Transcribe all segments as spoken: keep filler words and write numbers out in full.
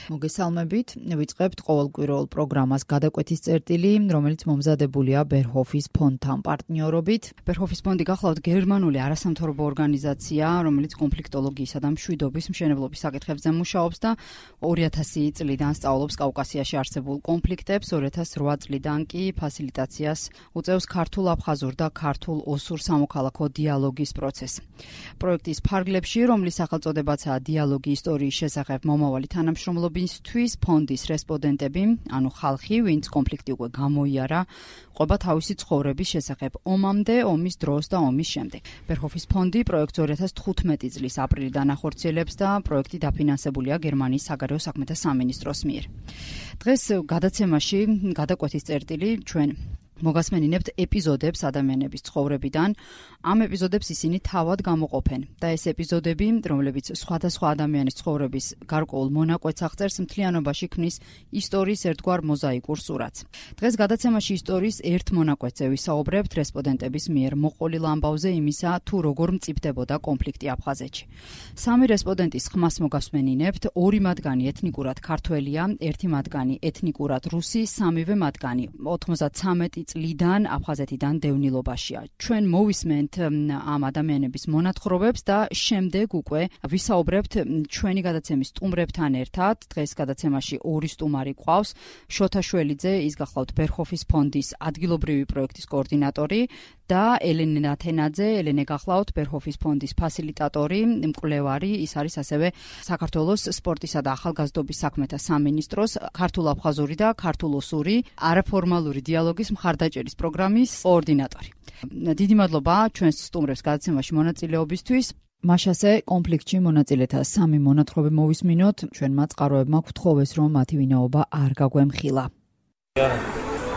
მოგესალმებით. ვიწყებთ ყოველკვირეულ პროგრამას გადაკვეთის წერტილი, რომელიც მომზადებულია ბერჰოფის ფონდთან პარტნიორობით. ბერჰოფის ფონდი გახლავთ გერმანული არასამთავრობო ორგანიზაცია, რომელიც კონფლიქტოლოგიისა და მშვიდობის მშენებლობის საკითხებზე მუშაობს და ორი ათასი წლიდან სწავლობს კავკასიაში არსებულ კონფლიქტებს, ორი ათას რვა წლიდან კი ფასილიტაციას უწევს ქართულ-აფხაზურ და ქართულ-ოსურ სამოქალაქო დიალოგის პროცესს. პროექტის ფარგლებში, რომლის სახელწოდებაცაა დიალოგი ისტორიის შესახებ მომავალი თანამშრომლობისთვის, ფონდის რესპონდენტები, ანუ ხალხი, ვინც კონფლიქტი უკვე გამოიარა, ყვება თავისი ცხოვრების შესახებ ომამდე, ომის დროს და ომის შემდეგ. ბერჰოფის ფონდი პროექტს ორი ათას თხუთმეტი წლის აპრილიდან ახორციელებს და პროექტი დაფინანსებულია გერმანიის საგარეო საქმეთა სამინისტროს მიერ. დღეს გადაცემაში გადაკვეთის წერტილი ჩვენ მოგასმენინებთ ეპიზოდებს ადამიანების ცხოვრებიდან. ამ ეპიზოდებს ისინი თავად გამოყოფენ და ეს ეპიზოდები, რომლებიც სხვადასხვა ადამიანის ცხოვრების გარკვეულ მონაკვეთს აღწერს, მთლიანობაში ქმნის ისტორიის ერთგვარ მოზაიკურ სურათს. დღეს გადაცემაში ისტორიის ერთ მონაკვეთზე ვისაუბრებთ რესპონდენტების მიერ მოყოლილ ამბავზე იმისა, თუ როგორ მწიფდებოდა კონფლიქტი აფხაზეთში. სამი რესპონდენტის ხმას მოგასმენინებთ, ორი მათგანი ეთნიკურად ქართველია, ერთი მათგანი ეთნიკურად რუსი, სამივე მათგანი ოთხმოცდათვრამეტი წლიდან აფხაზეთიდან დევნილობაშია. ჩვენ მოვისმენთ ამ ადამიანების მონათხრობებს და შემდეგ უკვე ვისაუბრებთ ჩვენი გადაცემის სტუმრებთან ერთად. დღეს გადაცემაში ორი სტუმარი გვყავს. შოთა შველიძე, ის გახლავთ ბერჰოფის ფონდის ადგილობრივი პროექტის კოორდინატორი და ელენე ნათენაძე, ელენე გახლავთ ბერჰოფის ფონდის ფასილიტატორი, მკვლევარი, ის არის ასევე საქართველოს სპორტისა და ახალგაზრდობის საქმეთა სამინისტროს ქართულ-აფხაზური და ქართულ-ოსური არაფორმალური დიალოგის მხარდაჭერის პროგრამის კოორდინატორი. დიდი მადლობა ჩვენს სტუმრებს გადაცემაში მონაწილეობისთვის. მაშასე კონფლიქტში მონაწილეთა სამი მონათხრობი მოვისმინოთ. ჩვენმა წყაროებმა გვთხოვეს, რომ მათი ვინაობა არ გაგვემხილა.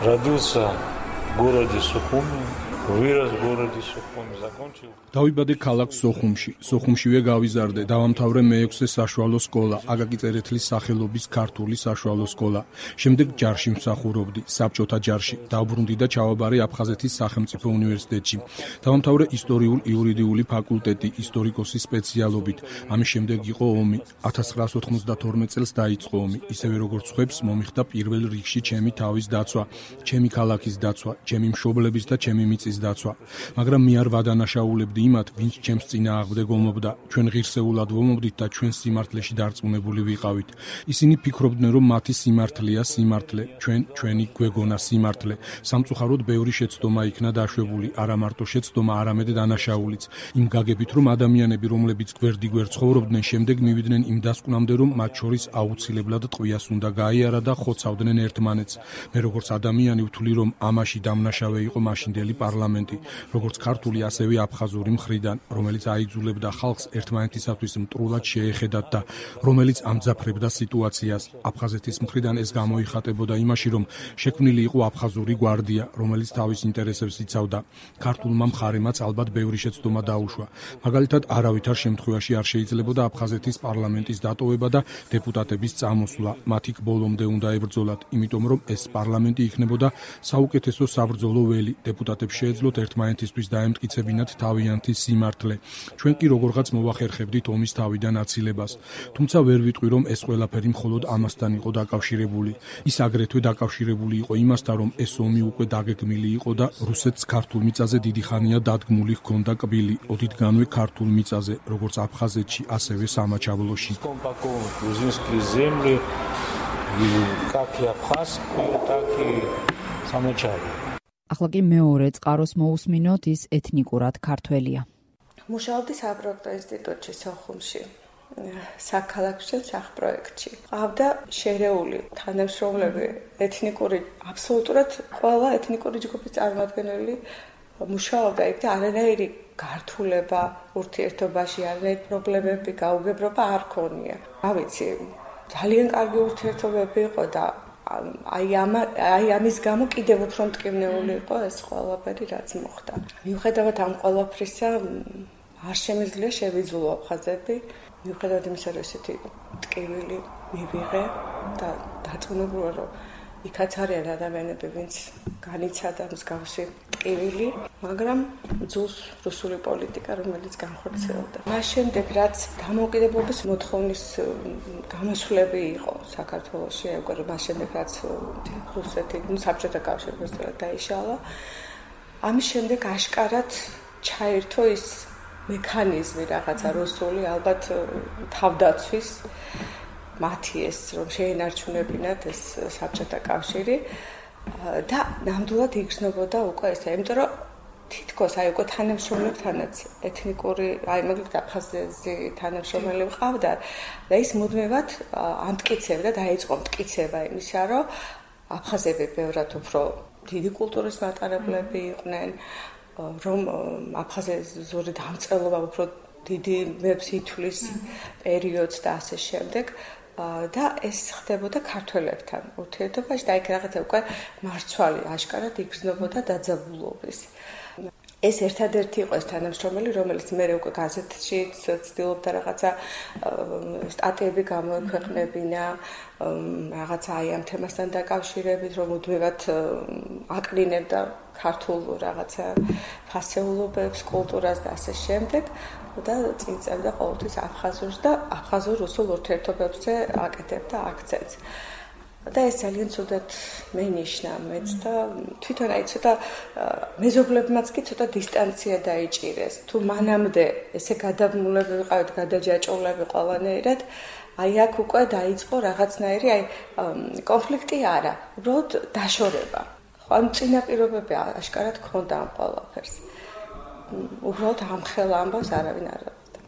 Родился в городе Сухуми. Вырос в городе Сухуми, закончил. დავიბადე ქალაქ სოხუმში. სოხუმშივე გავიზარდე. დავამთავრე მეექვსე საშუალო სკოლა, აკაკი წერეთლის სახელობის ქართული საშუალო სკოლა. შემდეგ ჯარში მსახურობდი, საბჭოთა ჯარში. დავბრუნდი და ჩავაბარე აფხაზეთის სახელმწიფო უნივერსიტეტში. დავამთავრე ისტორიულ-იურიდიული ფაკულტეტი, ისტორიკოსის სპეციალობით. ამის შემდეგ იყო ომი. ათას ცხრაასი ოთხმოცდათორმეტ წელს დაიწყო ომი. ისევე როგორც ხვებს, მომიხდა პირველ რიგში ჩემი თავის დაცვა, ჩემი ქალაქის დაცვა, ჩემი მშობლების და ჩემი მიწის დაცვა. მაგრამ მე არ ვადანაშაულებდი იმათ, ვინც ჩემს წინააღმდეგ ომობდა. ჩვენ ღირსეულად ვომობდით და ჩვენ სიმართლეში დარწმუნებული ვიყავით. ისინი ფიქრობდნენ, რომ მათი სიმართლეა სიმართლე, ჩვენ ჩვენი გვეგონა სიმართლე. სამწუხაროდ ბევრი შეცდომა იქნა დაშვებული, არა მარტო შეცდომა, არამედ დანაშაულიც. იმ გაგებით, რომ ადამიანები, რომლებიც გვერდიგვერდ ცხოვრობდნენ, შემდეგ მივიდნენ იმ დასკვნამდე, რომ მათ შორის აუცილებლად ტყვიას უნდა გაიარა და ხოცავდნენ ერთმანეთს. მე როგორც ადამიანი ვთვლი, რომ ამაში დამნაშავე იყო მაშინდელი პარლამენტი, როგორც ქართული, ასევე აფხაზური მხრიდან, რომელიც აიძულებდა ხალხს ერთმანეთისათვის მტრულად შეეხედათ და რომელიც ამძაფრებდა სიტუაციას. აფხაზეთის მხრიდან ეს გამოიხატებოდა იმაში, რომ შექმნილი იყო აფხაზური გვარდია, რომელიც თავის ინტერესებს იცავდა. ქართულმა მხარემაც ალბათ ბევრი შეცდომა დაუშვა. მაგალითად, არავითარ შემთხვევაში არ შეიძლებოდა აფხაზეთის პარლამენტის დატოვება და დეპუტატების წამოსვლა. მათი ბოლომდე უნდა ებრძოლათ, იმიტომ რომ ეს პარლამენტი იქნებოდა საუკეთესო საბრძოლო ველი. დეპუტატებს შეეძლოთ ერთმანეთისთვის დაემტკიცებინათ თავიანთი სიმართლე. ჩვენ კი როგორღაც მოვახერხებდით ომის თავიდან აცილებას. თუმცა ვერ ვიტყვი, რომ ეს ყველაფერი მხოლოდ ამასთან იყო დაკავშირებული. ის აგრეთვე დაკავშირებული იყო იმასთან, რომ ეს ომი უკვე დაგეგმილი იყო და რუსეთს ქართულ მიწაზე დიდი ხანია დადგმული ჰქონდა კბილი. ოდითგანვე ქართულ მიწაზე, როგორც აფხაზეთში, ასევე სამაჩაბლოში. ახლა კი მეორე წყაროს მოусმინოთ, ის ეთნიკურად ქართველია. მუშაობდი საპროექტო ინსტიტუტში სოხუმში, საქალაქო სახპროექტში. ყავდა შერეული თანამშრომლები, ეთნიკური, აბსოლუტურად ყველა ეთნიკური ჯგუფის წარმომადგენელი მუშაობდა იქ და არანაირი გართულება ურთიერთობაში, არანაირი პრობლემები, გაუგებრობა არ ქონია. რა ვიცი, ძალიან კარგი ურთიერთობები იყო და აი ამ აი ამის გამო კიდევ უფრო მტკივნეული იყო ეს ყველაფერი, რაც მოხდა. მიუხედავად ამ ყველაფრისა, არ შემიძლია შევიძულო აფხაზები, მიუხედავად იმისა, რომ ესეთი ტკივილი მივიღე და დაწუნებული რომ იქაც არიან ადამიანები, ვინც განიცადა მსგავსი ტკივილი, მაგრამ ძულს რუსული პოლიტიკა, რომელიც განხორციელდა. მას შემდეგ, რაც დამოუკიდებლობის მოთხოვნის გამოსვლები იყო საქართველოში, აი უკვე მას შემდეგ, რაც რუსეთი, ну, საბჭოთა კავშირი უბრალოდ დაიშალა, ამის შემდეგ აშკარად ჩაერთო ის მექანიზმი რაღაცა რუსული, ალბათ თავდაცვის მათი ეს რომ შეენარჩუნებინათ ეს საბჭოთა კავშირი და ნამდვილად იგრძნობოდა უკვე ესე, იმიტომ რომ თითქოს აი უკვე თანამშრომლებთანაც ეთნიკური, აი მაგალითად აფხაზეთი თანამშრომელი ყავდა და ის მუდმივად ამტკიცებდა, დაიწყო მტკიცება იმისა, რომ აფხაზები ბევრად უფრო დიდი კულტურის მატარებლები იყვნენ, რომ აფხაზური დამწყელობა უფრო დიდი ვებს ითვლის პერიოდს და ასე შემდეგ. და ეს ხდებოდა ქართველებთან ურთიერთობაში და იქ რაღაცა უკვე მარცვალი აშკარად იგრძნობოდა დაძაბულობის. ეს ერთადერთი იყო ეს თანამშრომელი, რომელიც მე უკვე გაზეთში ცდილობდა რაღაცა სტატიები გამოექვეყნებინა, რაღაცა აი ამ თემასთან დაკავშირებით, რომ უდმივად აკრინებდა ქართულ რაღაცა ფასეულობებს, კულტურას და ასე შემდეგ. და წინწევდა ყოველთვის აფხაზურს და აფხაზურ-რუსულ ურთიერთობებზე აკეთებდა აქცენტს. და ეს ძალიან ცუდად მენიშნა მეც და თვითონ აი ცოტა მეზობლებმაც კი ცოტა დისტანცია დაიჭირეს. თუ მანამდე ესე გადაბმულები ვიყავით, გადაჯაჭულები ყველანაირად, აი აქ უკვე დაიწყო რაღაცნაირი აი კონფლიქტი არა, უბრალოდ დაშორება. ხო, ამ წინაპირობები აშკარად ჰქონდა ამ ყველაფერს. უბრალოდ ამხელა ამბავს არავინ არ რავდა.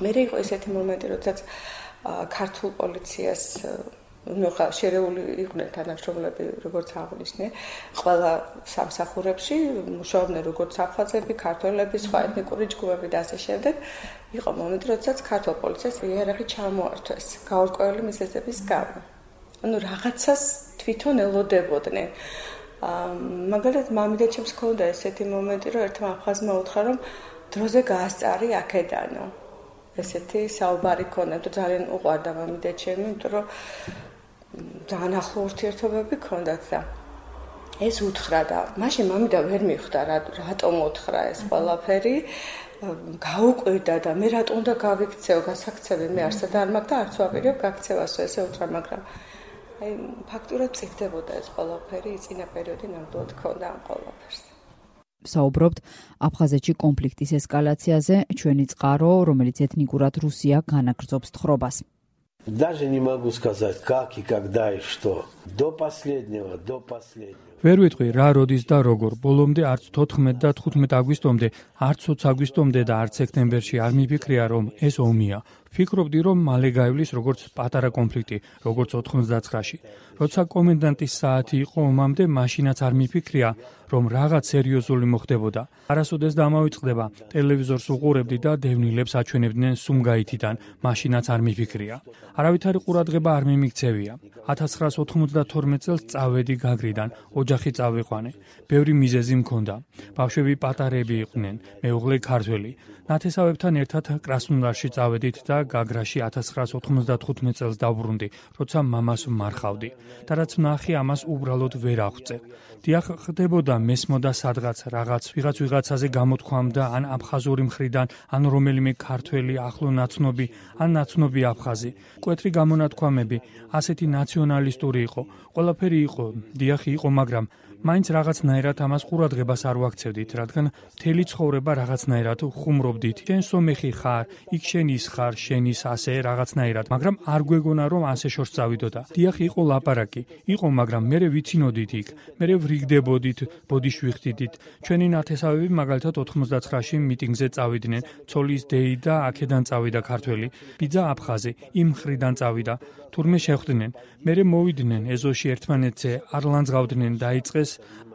მე იყო ესეთი მომენტი, როდესაც ქართულ პოლიციას ნუ ხა შერეული იყვნენ თანამშრომლები, როგორც აღნიშნე, ყველა სამსახურებში მუშაობდნენ როგორც აფხაზები, ქართველები, სხვა ეთნიკური ჯგუფები და ასე შემდეგ. იყო მომენტი, როდესაც ქართულ პოლიციას იარაღი ჩამოართვეს გაურკვეველი მიზეზების გამო. ანუ რაღაცას თვითონ ელოდებოდნენ. მაგალითად მამიდაჩემს ჰქონდა ესეთი მომენტი, რომ ერთმა აფხაზმა უთხრა, რომ დროზე გაასწარი აქედანო. ესეთი საუბარი ჰქონდა, თუ ძალიან უყვარდა მამიდაჩემი, იმიტომ რომ ძალიან ახლო ურთიერთობები ჰქონდათ და ეს უთხრა და მაშინ მამიდა ვერ მიხვდა, რატომ უთხრა ეს ყველაფერი, გაუკვირდა და მე რატომ უნდა გავიქცეო გასაქცევი, მე არსად არ მაქვს და არც ვაპირებ გაქცევასო, ესე უთხრა, მაგრამ აი ფაქტურად წიგდებოდა ეს ყველაფერი, წინა პერიოდი ნამდვილად ჰქონდა ამ ყველაფერს. საუბრობთ აფხაზეთში კონფლიქტის ესკალაციაზე, ჩვენი წყარო, რომელიც ეთნიკურად რუსია განაგრძობს თხრობას. Даже не могу сказать, как и когда и что. До последнего, до последнего. ვერ ვიტყვი რა როდის და როგორ. ბოლომდე არც თოთხმეტ და თხუთმეტ აგვისტომდე, არც ოცი აგვისტომდე და არც სექტემბერში არ მიფიქრია, რომ ეს ომია. ვფიქრობდი, რომ მალე გაივლის როგორც პატარა კონფლიქტი, როგორც ოთხმოცდაცხრაში. როცა კომენდანტის საათი იყო ომამდე, მაშინაც არ მიფიქრია, რომ რაღაც სერიოზული მოხდებოდა. არასოდეს დამავიწყდება, ტელევიზორს უყურებდი და დევნილებს აჩვენებდნენ სუმგაითიდან, მაშინაც არ მიფიქრია. არავითარი ყურადღება არ მიმიქცევია. ათას ცხრაასი ოთხმოცდათორმეტ წელს წავედი გაგრიდან, ოჯახი წავიყვანე. ბევრი მიზეზი მქონდა. ბავშვები პატარები იყვნენ, მეუღლე ქართველი. ნათესავებთან ერთად კრასნოდარში წავედით და გაგრაში ათას ცხრაასი ოთხმოცდათხუთმეტ წელს დავბრუნდი, როცა მამას ვმარხავდი. და რაც ვნახე, ამას უბრალოდ ვერ აღვწე. დიახ, ხდებოდა მესმოდა სადღაც რაღაც ვიღაც ვიღაცაზე გამოთქვამდა, ან აფხაზური მხრიდან, ან რომელიმე ქართველი ახლო ნაცნობი, ან ნაცნობი აფხაზი. მკვეთრი გამონათქვამები, ასეთი ნაციონალისტური იყო. ყველაფერი იყო, დიახ იყო, მაგრამ მაინც რაღაცნაირად ამას ყურადღებას არ ვაქცევდით, რადგან მთელი ცხოვრება რაღაცნაირად ხუმრობდით. შენ სომეხი ხარ, იქ შენ ის ხარ, შენ ის ასე რაღაცნაირად, მაგრამ არ გვეგონა რომ ასე შორს წავიდოდა. დიახ, იყო ლაპარაკი, იყო, მაგრამ მერე ვიცინოდით იქ, მერე ვრიგდებოდით, ბოდიში ვიხდიდით. ჩვენი ნათესავები მაგალითად ოთხმოცდაცხრაში მიტინგზე წავიდნენ, ცოლის დეი და აქედან წავიდა ქართველი, ბიძა აფხაზი, იმ მხრიდან წავიდა. თურმე შეხვდნენ, მერე მოვიდნენ ეზოში ერთმანეთზე, არ ლანძღავდნენ, დაიწყეს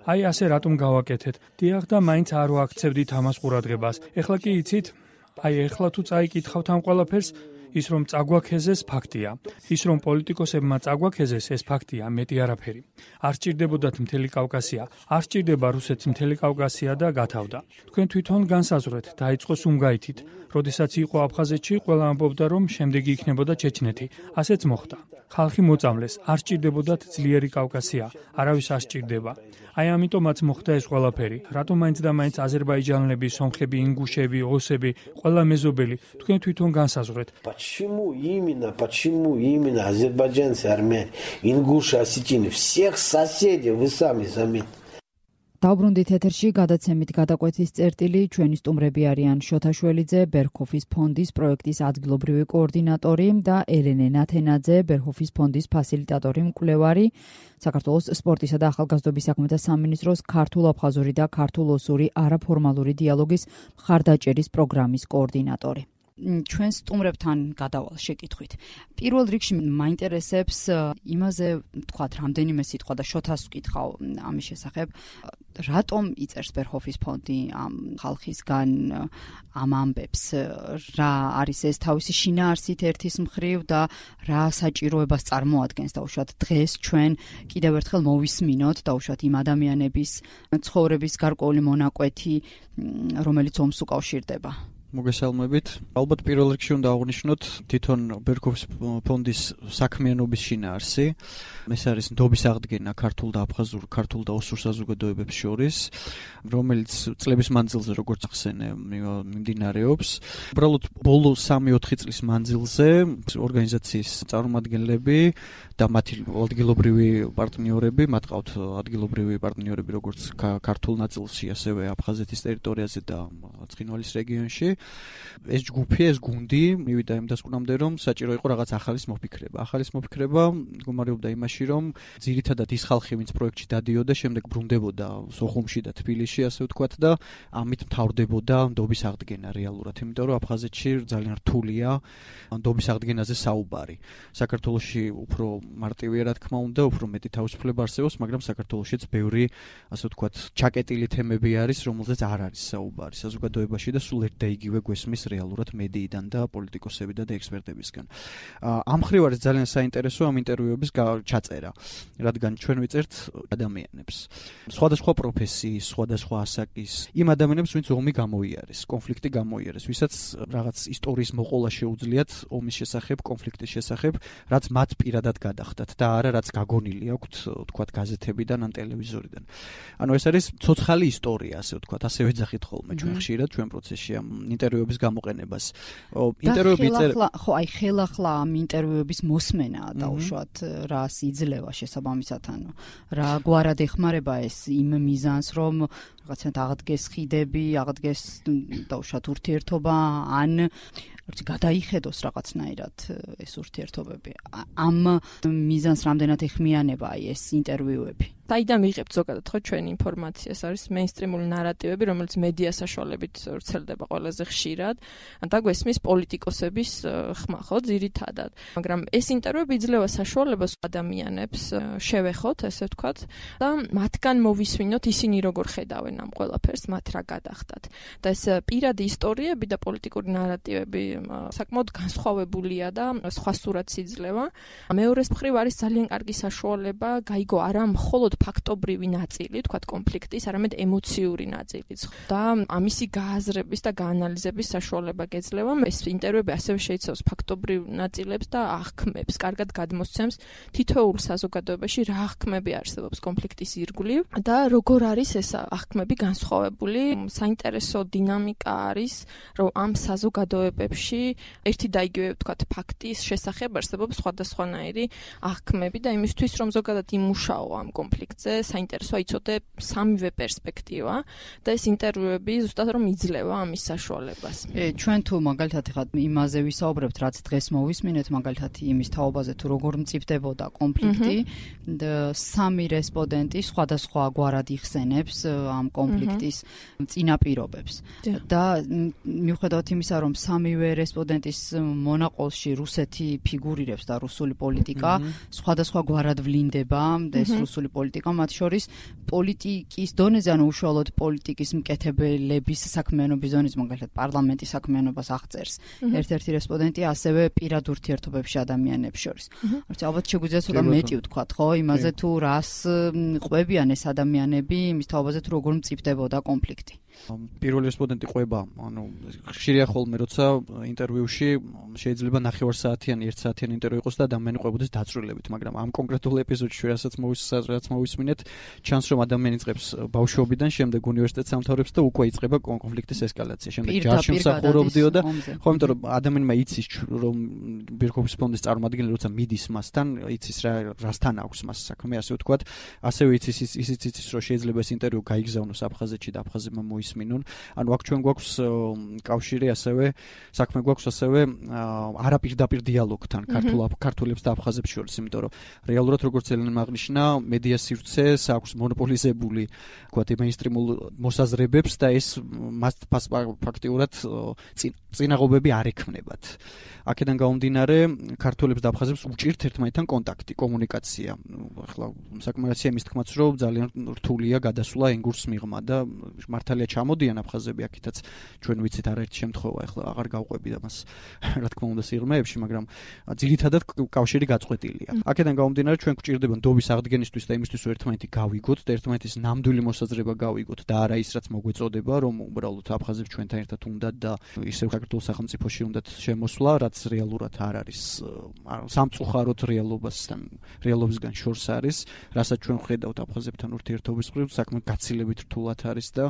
აი ასე რატომ გავაკეთეთ. დიახ და მაინც არ ვაქცევდით ამას ყურადღებას. ეხლა კი იცით, აი ეხლა თუ წაიკითხავთ ამ ყველაფერს, ის რომ წაგვაქეზეს ფაქტია. ის რომ პოლიტიკოსებმა წაგვაქეზეს ეს ფაქტია, მეტი არაფერი. არ სჭირდებოდათ მთელი კავკასია, არ სჭირდება რუსეთს მთელი კავკასია და გათავდა. თქვენ თვითონ განსაზღვრეთ, დაიწყო სუმგაითით. როდესაც იყო აფხაზეთში, ყველა ამბობდა რომ შემდეგი იქნებოდა ჩეჩნეთი. ასეც მოხდა. ხალხი მოწამლეს, არ სჭირდებოდათ ძლიერი კავკასია, არავის არ სჭირდება. აი ამიტომაც მოხდა ეს ყველაფერი. რატომ მაინც და მაინც აზერბაიჯანელები, სომხები, ინგუშები, ოსები, ყველა მეზობელი თქვენ თვითონ განსაზღვრეთ. Почему именно, почему именно азербайджанцы, армяне, ингуши, осетины, всех соседей вы сами заметьте. დაუბრუნდით ეთერში გადაცემით გადაკვეთის წერტილი, ჩვენი სტუმრები არიან შოთა შველიძე, ბერჰოფის ფონდის პროექტის ადგილობრივი კოორდინატორი და ელენე ნათენაძე, ბერჰოფის ფონდის ფასილიტატორი მკვლევარი, საქართველოს სპორტისა და ახალგაზრდობის საქმეთა სამინისტროს ქართულ-აფხაზური და ქართულ-ოსური არაფორმალური დიალოგის მხარდაჭერის პროგრამის კოორდინატორი. ჩვენ სტუმრებთან გადავალ შეკითხვით. პირველ რიგში მაინტერესებს იმაზე, თქვათ, რამდენიმე სიტყვა და შოთას ვკითხავ ამის შესახებ, რატომ იწერს ბერჰოფის ფონდი ამ ხალხისგან ამ ამბებს, რა არის ეს თავისი შინაარსით ერთის მხრივ და რა საჭიროებას წარმოადგენს დაუშვათ დღეს ჩვენ კიდევ ერთხელ მოვისმინოთ დაუშვათ იმ ადამიანების ცხოვრების გარკვეული მონაკვეთი, რომელიც ომს უკავშირდება. მოგესალმებით. ალბათ პირველ რიგში უნდა აღვნიშნოთ თვითონ ბერჰოფის ფონდის საქმიანობის შინაარსი. ეს არის ნდობის აღდგენა ქართულ და აფხაზურ, ქართულ და ოსურ საზოგადოებებს შორის, რომელიც წლების მანძილზე როგორც ხსენე მიმდინარეობს. უბრალოდ ბოლო სამი-ოთხი წლის მანძილზე ორგანიზაციის წარმომადგენლები და მათი ადგილობრივი პარტნიორები, მათ ყავთ ადგილობრივი პარტნიორები როგორც ქართულ ნაწილში, ასევე აფხაზეთის ტერიტორიაზე და ცხინვალის რეგიონში. ეს ჯგუფი, ეს გუნდი მივიდა იმ დასკვნამდე, რომ საჭირო იყო რაღაც ახალის მოფიქრება. ახალის მოფიქრება მდგომარეობდა იმაში, რომ ძირითადად ის ხალხი, ვინც პროექტში დადიოდა, შემდეგ ბრუნდებოდა სოხუმში და თბილისში, ასე ვთქვათ და ამით მთავრდებოდა ნდობის აღდგენა რეალურად, იმიტომ რომ აფხაზეთში ძალიან რთულია ნდობის აღდგენაზე საუბარი. საქართველოში უფრო მარტივია, რა თქმა უნდა, უფრო მეტი თავისუფლება არსებობს, მაგრამ საქართველოშიც ბევრი, ასე ვთქვათ, ჩაკეტილი თემები არის, რომელზეც არ არის საუბარი საზოგადოებაში და სულ ერთ და იგივე გვესმის რეალურად მედიიდან და პოლიტიკოსებიდან და ექსპერტებისგან. ამ მხრივ არის ძალიან საინტერესო ამ ინტერვიუების ჩაწერა, რადგან ჩვენ ვიწერთ ადამიანებს, სხვადასხვა პროფესიის, სხვადასხვა ასაკის, იმ ადამიანებს, ვინც ომი გამოიარეს, კონფლიქტი გამოიარეს, ვისაც რაღაც ისტორიის მოყოლა შეუძლიათ ომის შესახებ, კონფლიქტის შესახებ, რაც მათ პირადად გადახდათ და არა რაც გაგონილი აქვთ, თქვათ, გაზეთებიდან ან ტელევიზორიდან. ანუ ეს არის ცოცხალი ისტორია, ასე ვთქვათ, ასე ვეძახით ხოლმე ჩვენ ხშირად ჩვენ პროცესში ამ ინტერვიუების გამოყენებას. ინტერვიუები წერა, ხო, აი ხელახლა ამ ინტერვიუების მოსმენა დაუშვათ რას იძლევა შესაბამისად, ანუ რა გვარად ეხმარება ეს იმ მიზანს, რომ რაღაცნაირად აღდგეს ხიდები, აღდგეს დაუშვათ ურთიერთობა, ან როცა გადაიხედოს რაღაცნაირად ეს ურთიერთობები. ამ მიზანს რამდენად ეხმიანება აი ეს ინტერვიუები? საიდან ვიღებთ ზოგადად ხო ჩვენ ინფორმაციას, არის მეინსტრიმული ნარატივები, რომელიც მედია საშუალებით ვრცელდება ყველაზე ხშირად და გვესმის პოლიტიკოსების ხმა ხო ძირითადად. მაგრამ ეს ინტერვიუები იძლევა საშუალებას ადამიანებს შევეხოთ, ესე ვთქვათ, და მათგან მოვისმინოთ ისინი როგორ ხედავენ ამ ყველაფერს, მათ რა გადახდათ. და ეს პირადი ისტორიები და პოლიტიკური ნარატივები საკმაოდ განსხვავებულია და სხვა სურათს იძლევა. მეორეს მხრივ არის ძალიან კარგი საშუალება გაიგო არა მხოლოდ ფაქტობრივი ნაწილი, თქვათ კონფლიქტის, არამედ ემოციური ნაწილიც. და ამისი გააზრების და გაანალიზების საშუალება გეძლევა. ეს ინტერვიუები ასევე შეიცავს ფაქტობრივ ნაწილებს და აღქმებს, კარგად გადმოსცემს თითოეულ საზოგადოებაში რა აღქმები არსებობს კონფლიქტის ირგვლივ და როგორ არის ეს აღქმები განსხვავებული. საინტერესო დინამიკა არის, რომ ამ საზოგადოებებში ერთი და იგივე, თქვათ, ფაქტის შესახებ არსებობს სხვადასხვანაირი აღქმები და იმისთვის, რომ ზოგადად იმუშაო ამ კონფლიქტზე, საინტერესოა იცოდე სამივე პერსპექტივა და ეს ინტერვიუები ზუსტად რომ იძლევა ამის საშუალებას. ჩვენ თუ მაგალითად ხა იმაზე ვისაუბრებთ, რაც დღეს მოვისმინეთ, მაგალითად იმის თაობაზე თუ როგორ მწიფდებოდა კონფლიქტი, სამი რესპონდენტი სხვადასხვა გვარად იხსენებს ამ კონფლიქტის წინაპირობებს. და მიუხედავად იმისა, რომ სამივე რესპონდენტის მონაყოლში რუსეთი ფიგურირებს და რუსული პოლიტიკა სხვადასხვა გვარად ვლინდება, ეს რუსული პოლიტიკა პოლიტიკა, მათ შორის პოლიტიკის დონეზე, ანუ უშუალოდ პოლიტიკის მკეთებელების საქმიანობის დონეზე, მაგალითად პარლამენტის საქმიანობას აღწერს ერთ-ერთი რესპონდენტი, ასევე პირად ურთიერთობებში ადამიანებს შორის. არც ალბათ შეგვიძლია ცოტა მეტი ვთქვათ, ხო, იმაზე თუ რას ყვებიან ეს ადამიანები, იმის თაობაზე თუ როგორ მწიფდებოდა კონფლიქტი. პირველი რესპონდენტი ყვება, ანუ ხშირია ხოლმე, როცა ინტერვიუში შეიძლება ნახევარსაათიანი, ერთ საათიანი ინტერვიუ იყოს და ადამიანი ყვებოდეს დაწვრილებით, მაგრამ ამ კონკრეტულ ეპიზოდში, რასაც მოვის მოვისმინეთ, ჩანს, რომ ადამიანი იწყებს ბავშვობიდან, შემდეგ უნივერსიტეტს ამთავრებს და უკვე იწყება კონფლიქტის ესკალაცია. შემდეგ ჯარში მსახურობდიო და ხო, იმიტომ რომ ადამიანმა იცის, რომ ბერჰოფის ფონდის წარმომადგენელი როცა მიდის მასთან, იცის რა რასთან აქვს მას საქმე, ასე ვთქვათ, ასევე იცის ისიც იცის, რომ შეიძლება ეს ინტერვიუ გაიგზავნოს აფხაზეთში და აფხაზებმა მოისმინონ. ანუ აქ ჩვენ გვაქვს კავშირი, ასევე საქმე გვაქვს ასევე არაპირდაპირ დიალოგთან ქართულ ქართულებს და აფხაზებს შორის, იმიტომ რომ რეალურად როგორც ელენამ აღნიშნა, მედია სივრცეს აქვს მონოპოლიზებული, ვთქვათ, მეინსტრიმულ მოსაზრებებს და ეს მას ფაქტიურად წინაღობები არ ექმნებათ. აქედან გამომდინარე, ქართულებს და აფხაზებს უჭირთ ერთმანეთთან კონტაქტი, კომუნიკაცია. ახლა საკმარისია იმის თქმაც, რომ ძალიან რთულია გადასვლა ენგურს მიღმა და მართალია ჩამოდიან აფხაზები აქეთაც, ჩვენ ვიცით არაერთი შემთხვევა, ახლა აღარ გავყვები და მას რა თქმა უნდა სიღრმეებში, მაგრამ ძირითადად კავშირი გაწყვეტილია. აქედან გამომდინარე, ჩვენ გვჭირდება ნდობის აღდგენისთვის და იმისთვის, რომ ერთმანეთი გავიგოთ და ერთმანეთის ნამდვილი მოსაზრება გავიგოთ და არა ის, რაც მოგვეწოდება, რომ უბრალოდ აფხაზებს ჩვენთან ერთად უნდათ და ისევ საქართველოს სახელმწიფოში უნდათ შემოსვლა, რაც რეალურად არ არის, სამწუხაროდ რეალობასთან, რეალობისგან შორს არის, რასაც ჩვენ ვხედავთ აფხაზებთან ურთიერთობის მხრივ, საქმე გაცილებით რთულად არის და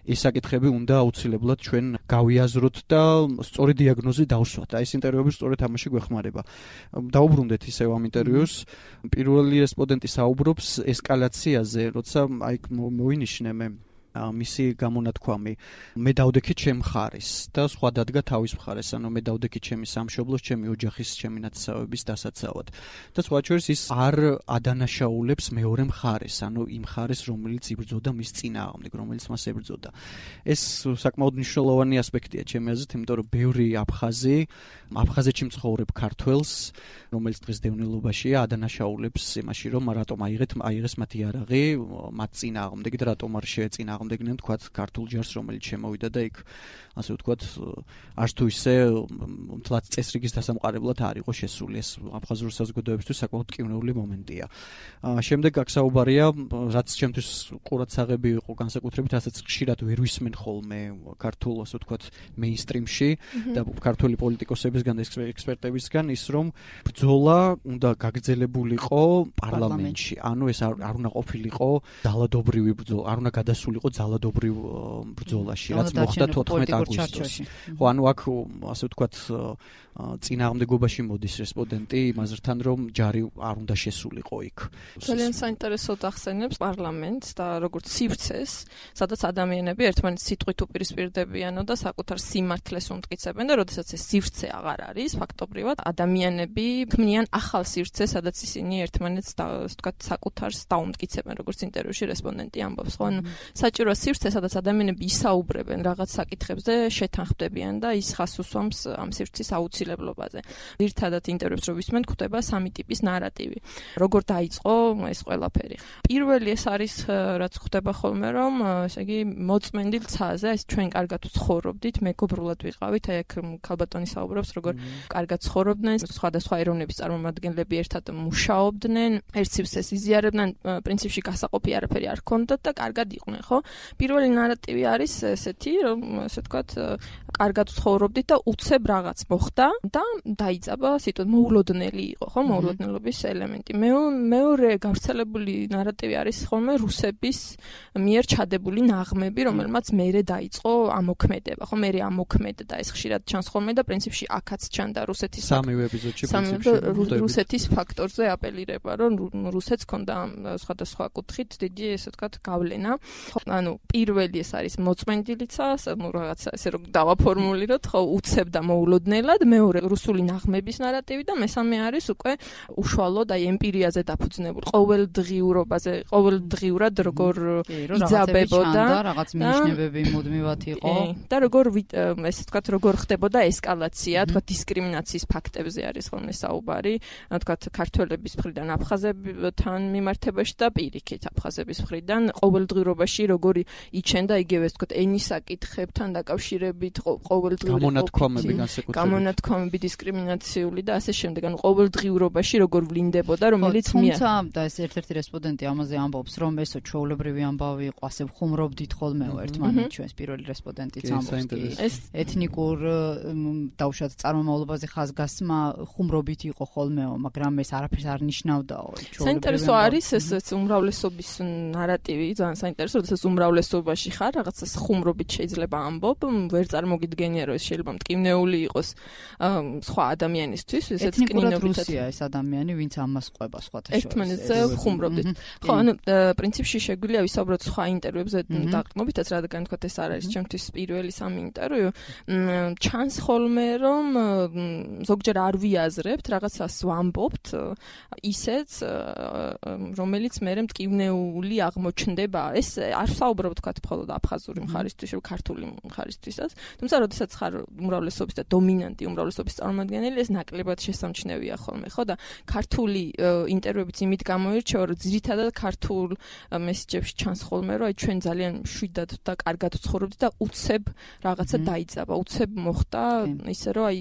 ეს საკითხები უნდა აუცილებლად ჩვენ გავიაზროთ და სწორი დიაგნოზი დავსვათ. აი ეს ინტერვიუები სწორედ ამაში გვეხმარება. დაუბრუნდეთ ისევ ამ ინტერვიუს. პირველი რესპონდენტი საუბრობს ესკალაციაზე, როცა აი მოვინიშნე მე მისი გამონათქვამი, მე დავდექი ჩემ მხარეს და სხვა დადგა თავის მხარეს, ანუ მე დავდექი ჩემი სამშობლოს, ჩემი ოჯახის, ჩემი ნათესავების დასაცავად. და სხვა შორის ის არ ადანაშაულებს მეორე მხარეს, ანუ იმ მხარეს, რომელიც იბრძოდა მის წინააღმდეგ, რომელიც მას ებრძოდა. ეს საკმაოდ მნიშვნელოვანი ასპექტია ჩემი აზრით, იმიტომ რომ ბევრი აფხაზი, აფხაზეთში მცხოვრებ ქართველს, რომელიც დღეს დევნილობაშია, ადანაშაულებს იმაში, რომ რატომ აიღეთ, აიღეს მათი იარაღი მათ წინააღმდეგ და რატომ არ შეეწინააღმდეგნენ, თქვათ, ქართულ ჯარს, რომელიც შემოვიდა და იქ, ასე ვთქვათ, არც თუ ისე მთლად წესრიგის დასამყარებლად არ იყო შესული. ეს აფხაზურ საზოგადოებისთვის საკმაოდ ტკივნეული მომენტია. შემდეგ აქ საუბარია, რაც ჩემთვის ყურადსაღები იყო განსაკუთრებით, რასაც ხშირად ვერ ვისმენ ხოლმე ქართულ, ასე ვთქვათ, მეინსტრიმში და ქართული პოლიტიკოსებისგან და ექსპერტებისგან, ის რომ ბრძოლა უნდა გაგრძელებულიყო პარლამენტში. ანუ ეს არ უნდა ყოფილიყო ძალადობრივი ბრძოლა, არ უნდა გადასულიყო ძალადობრივ ბრძოლაში, რაც მოხდა თოთხმეტ აგვისტოს. ხო, ანუ აქ ასე ვთქვათ, წინააღმდეგობაში მოდის რესპონდენტი იმაზრთან, რომ ჯარი არ უნდა შესულიყო იქ. ძალიან საინტერესოდ ახსენებს პარლამენტს და როგორც სივრცეს, სადაც ადამიანები ერთმანეთს სიტყვით უპირისპირდებიანო და საკუთარ სიმართლეს უმტკიცებენ და როდესაც ეს სივრცე აღარ არის, ფაქტობრივად ადამიანები ქმნიან ახალ სივრცეს, სადაც ისინი ერთმანეთს და ასე ვთქვათ, საკუთარს დაუმტკიცებენ, როგორც ინტერვიუში რესპონდენტი ამბობს. ხო, ანუ საჭიროა სივრცე, სადაც ადამიანები ისაუბრებენ რაღაც საკითხებზე, შეთანხმდებიან და ის ხას უსვამს ამ სივრცის აუცილებლობაზე. ძირითადად ინტერვიუს რო ვისმენთ, გვხვდება სამი ტიპის ნარატივი. როგორ დაიწყო ეს ყველაფერი? პირველი ეს არის, რაც ხდება ხოლმე, რომ ესე იგი მოწმენდილ ცაზე, ეს ჩვენ კარგად ვცხოვრობდით, მეგობრულად ვიყავით, აი აქ ქალბატონი საუბრობს, როგორ კარგად ცხოვრობდნენ, სხვადასხვა ეროვნების წარმომადგენლები ერთად მუშაობდნენ, ერთ სივრცეს იზიარებდნენ, პრინციპში გასაყოფი არაფერი არ ჰქონდათ და კარგად იყვნენ, ხო? პირველი ნარატივი არის ესეთი, რომ ასე ვთქვათ, კარგად ცხოვრობდით და უცებ რაღაც მოხდა და დაიწყება სიტუაცია, მოულოდნელი იყო, ხო, მოულოდნელობის ელემენტი. მეორე გავრცელებული ნარატივი არის ხოლმე რუსების მიერ ჩადებული ნაღმები, რომელმაც მერე დაიწყო ამოქმედება, ხო, მერე ამოქმედდა, ეს ხშირად ჩანს ხოლმე და პრინციპში აქაც ჩანდა რუსეთის სამივე ეპიზოდში პრინციპში რუსეთის ფაქტორზე აპელირება, რომ რუსეთს ჰქონდა სხვადასხვა კუთხით დიდი, ესე ვთქვათ, გავლენა. ანუ პირველი ეს არის მოწმენდილიცა, ну რაღაცა ესე რომ დავაფორმულიროთ, ხო, უცებდა მოულოდნელად, მეორე რუსული ნაღმების ნარატივი და მესამე არის უკვე უშუალოდ აი ემპირიაზე დაფუძნებული, ყოველდღიურობაზე, ყოველდღიურად როგორ იძაბებოდა, რაღაც მინიშნებები მუდმივად იყო და როგორ ესე ვთქვათ, როგორ ხდებოდა ესკალაცია, თქვა დისკრიმინაციის ფაქტებზე არის ხოლმე საუბარი, თქვა ქართველების მხრიდან აფხაზებთან მიმართებაში და პირიქით აფხაზების მხრიდან ყოველდღიურობაში როგორი იჩენდა იგივე ვთქვათ ენის საკითხებთან დაკავშირებით ყოველდღიური გამონათქვამები განსაკუთრებით გამონათქვამები დისკრიმინაციული და ასე შემდეგ ანუ ყოველდღიურობაში როგორ ვლინდებოდა რომელიც მე თუმცა და ეს ერთ-ერთი რესპონდენტი ამაზე ამბობს რომ ესო ჩვეულებრივი ამბავი იყო ასე ხუმრობდით ხოლმე ერთმანეთს ჩვენს პირველი რესპონდენტიც ამბობს კი ეს ეთნიკურ დაუშვათ წარმომავლობაზე ხაზგასმა ხუმრობით იყო ხოლმეო მაგრამ ეს არაფერს არ ნიშნავდაო საინტერესო არის ეს უმრავლესობის ნარატივი ძალიან საინტერესო როდესაც უმრავლესობაში ხარ რაღაცას ხუმრობით შეიძლება ამბობ ვერ წარმოგიდგენია რომ ეს შეიძლება მტკივნეული იყოს სხვა ადამიანისთვის ესეც კნინობით ეს ადამიანი ვინც ამას ყვება სხვათა შორის ერთმანეთზე ხუმრობდით ხო ანუ პრინციპში შეგვიძლია ვისაუბროთ სხვა ინტერვიუებზე დაყრდნობითაც რადგან თქვა ეს არ არის ჩემთვის პირველი სამი ინტერვიუ ჩანს ხოლმე რომ ზოგჯერ არ ვიაზრებთ რაღაცას ვამბობთ ისეც რომელიც მე მტკივნეული აღმოჩნდება ეს არ საუბრობ თქვა მხოლოდ აფხაზური მხარისთვის რომ ქართული მხარისთვისაც თუმცა როდესაც ხარ უმრავლესობის და დომინანტი უმრავლესობის წარმომადგენელი ეს ნაკლებად შესამჩნევია ხოლმე ხო და ქართული ინტერვიუებიც იმით გამოირჩევა რომ ძირითადად ქართულ მესიჯებში ჩანს ხოლმე რომ აი ჩვენ ძალიან მშვიდად და კარგად ვცხოვრობთ და უცებ რაღაცა დაიძაბა უცებ მოხდა ისე რომ აი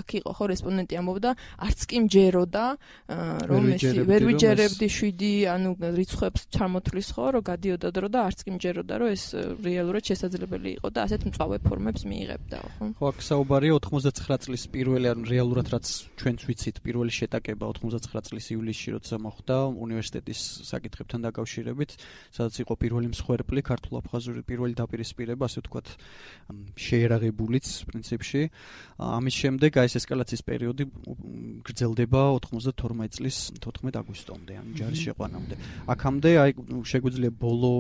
აქ იყო ხო რესპონდენტი ამბობდა არც კი მჯეროდა რომ ეს ვერ ვიჯერებდი შვიდი ანუ რიცხვებს ჩამოთვლის ხო რომ გადიოდა დრო და არც კი მჯეროდა რომ ეს რეალურად შესაძლებელი იყო და ასეთ მწვავე ფორმებს მიიღებდა ხო ხო აქ საუბარია ოთხმოცდაცხრა წლის პირველი ანუ რეალურად რაც ჩვენც ვიცით პირველი შეტაკება ოთხმოცდაცხრა წლის ივლისში როცა მოხდა უნივერსიტეტის საკითხებთან დაკავშირებით სადაც იყო პირველი მსხვერპლი ქართულ-აფხაზური პირველი დაპირისპირება ასე ვთქვათ შეერაღებულიც პრინციპში ამის შემდეგ აი ეს ესკალაციის პერიოდი გრძელდება ოთხმოცდათორმეტი წლის თოთხმეტ აგვისტომდე ანუ ჯარის შეყვანამდე აქამდე აი შეგვიძლია ბოლო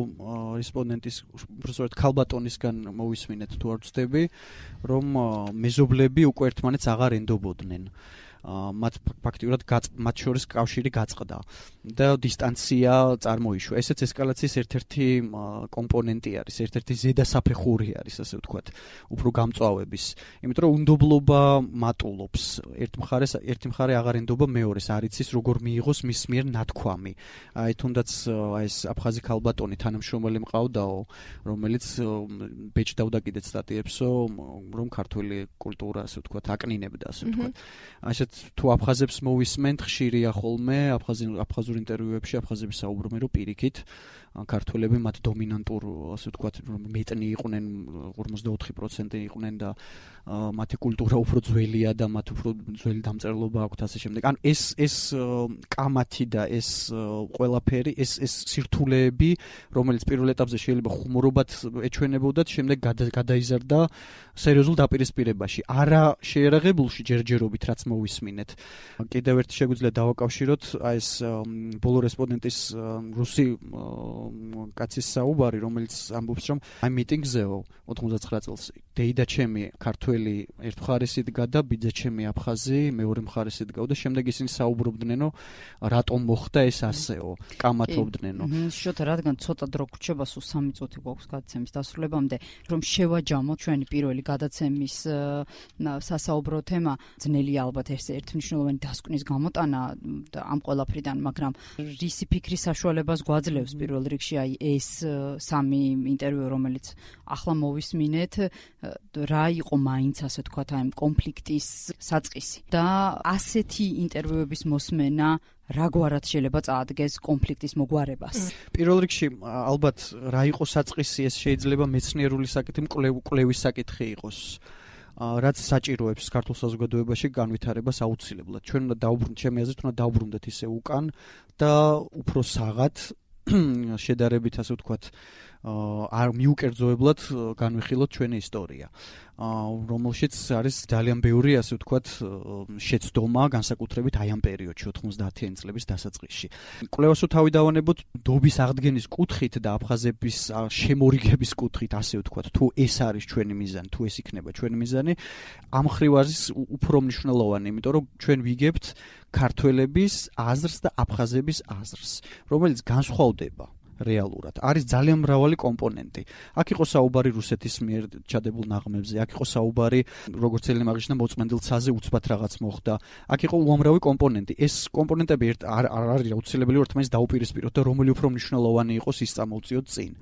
რესპონდენტის უბრალოდ ქალბატონისგან მოვისმინეთ თუ არ ვცდები რომ მეზობლები უკვე ერთმანეთს აღარ ენდობოდნენ მათ ფაქტიურად მათ შორის კავშირი გაწყდა და დისტანცია წარმოიშვა. ესეც ესკალაციის ერთ-ერთი კომპონენტი არის, ერთ-ერთი ზედასაფეხური არის, ასე ვთქვათ, უფრო გამწვავების. იმიტომ რომ უნდობლობა მატულობს. ერთ მხარეს, ერთი მხარე აღარ ენდობა მეორეს, არ იცის როგორ მიიღოს მის მიერ ნათქვამი. აი თუნდაც აი ეს აფხაზი ქალბატონი თანამშრომელი მყავდაო, რომელიც ბეჭდავდა კიდეც სტატიებსო, რომ ქართული კულტურა, ასე ვთქვათ, აკნინებდა, ასე ვთქვათ. ასეთ თუ აფხაზებს მოვისმენთ, ხშირია ხოლმე აფხაზურ ინტერვიუებში აფხაზები საუბრობენ, რომ პირიქით ქართველები მათ დომინანტურ, ასე ვთქვათ, მეტნი იყვნენ, ორმოცდაოთხი პროცენტი იყვნენ და მათი კულტურა უფრო ძველია და მათ უფრო ძველი დამწერლობა აქვთ ასე შემდეგ. ანუ ეს ეს კამათი და ეს ყველაფერი, ეს ეს სირთულეები, რომელიც პირველ ეტაპზე შეიძლება ხუმრობად ეჩვენებოდათ, შემდეგ გადაიზარდა სერიოზულ დაპირისპირებაში. არა შეერაღებულში ჯერჯერობით, რაც მოვისმინეთ. კიდევ ერთი შეგვიძლია დავაკავშიროთ აი ეს ბოლო რესპონდენტის რუსი კაცის საუბარი, რომელიც ამბობს, რომ აი მიტინგზეო ოთხმოცდაცხრა წელს დეიდა ჩემი ქართველი ერთ მხარეს იდგა და ბიძა ჩემი აფხაზი მეორე მხარეს იდგა და შემდეგ ისინი საუბრობდნენო რატომ მოხდა ეს ასეო, კამათობდნენო. შოთა რადგან ცოტა დრო გრჩება, სულ სამი წუთი გვაქვს გადაცემის დასრულებამდე, რომ შევაჯამოთ ჩვენი პირველი გადაცემის სასაუბრო თემა, ძნელია ალბათ ეს ერთმნიშვნელოვანი დასკვნის გამოტანა ამ ყველაფრიდან, მაგრამ რისი ფიქრის საშუალებას გვაძლევს პირველ რიგში აი ეს სამი ინტერვიუ, რომელიც ახლა მოვისმინეთ, რა იყო მაინც ასე თქვათ აი კონფლიქტის საწყისი და ასეთი ინტერვიუების მოსმენა რაგვარად შეიძლება წაადგეს კონფლიქტის მოგვარებას. პირველ რიგში ალბათ რა იყო საწყისი, ეს შეიძლება მეცნიერული საკითხი, კვლევის საკითხი იყოს. რაც საჭიროებს ქართულ საზოგადოებაში განვითარებას აუცილებლად. ჩვენ უნდა დაუბრუნდეთ, ჩემი აზრით, უნდა დაუბრუნდეთ ისე უკან და უფრო საღად შედარებით ასე ვთქვათ არ მიუკერძოებლად განვიხილოთ ჩვენი ისტორია. რომელშიც არის ძალიან ბევრი, ასე ვთქვათ, შეცდომა, განსაკუთრებით აი ამ პერიოდში ოთხმოცდაათიანი წლების დასაწყისში. კვლევას თუ თავი დავანებოთ დობის აღდგენის კუთხით და აფხაზების შემორიგების კუთხით, ასე ვთქვათ, თუ ეს არის ჩვენი მიზანი, თუ ეს იქნება ჩვენი მიზანი, ამ მხრივ არის უფრო მნიშვნელოვანი, იმიტომ რომ ჩვენ ვიგებთ ქართველების აზრს და აფხაზების აზრს, რომელიც განსხვავდება რეალურად. არის ძალიან მრავალი კომპონენტი. აქ იყო საუბარი რუსეთის მიერ ჩადებულ ნაღმებზე, აქ იყო საუბარი როგორც ელენე აღნიშნა მოწმენდილ ცაზე უცბად რაღაც მოხდა. აქ იყო უამრავი კომპონენტი. ეს კომპონენტები ერთ არ არის აუცილებელი რომ ერთმანეთს დაუპირისპიროთ და რომელი უფრო მნიშვნელოვანი იყოს ის წამოვწიოთ წინ.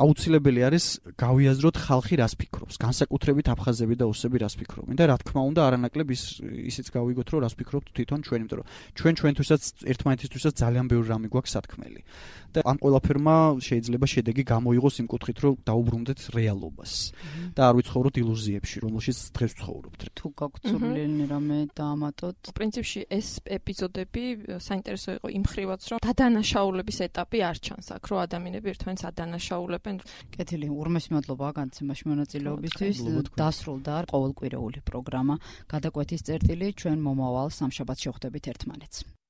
აუცილებელი არის გავიაზროთ ხალხი რას ფიქრობს, განსაკუთრებით აფხაზები და ოსები რას ფიქრობენ და რა თქმა უნდა არანაკლებ ის ისიც გავიგოთ რომ რას ფიქრობთ თვითონ ჩვენ, იმიტომ რომ ჩვენ ჩვენთვისაც ერთმანეთისთვისაც ძალიან ბევრი რამე გვაქვს სათქმელი. და ამ ყველაფერმა შეიძლება შედეგი გამოიღოს იმ კუთხით, რომ დაუბრუნდეთ რეალობას და არ ვიცხოვროთ ილუზიებში, რომელშიც დღეს ვცხოვრობთ. თუ გაქვთ სურვილი რამე დაამატოთ. პრინციპში ეს ეპიზოდები საინტერესო იყო იმ ხრივაც, რომ დადანაშაულების ეტაპი არ ჩანს აქ, რომ ადამიანები ერთმანეთს ადანაშაულებენ. კეთილი, ურმეს მადლობა განცემაში მონაწილეობისთვის. დასრულდა ყოველკვირეული პროგრამა გადაკვეთის წერტილი, ჩვენ მომავალ სამშაბათს შევხვდებით ერთმანეთს.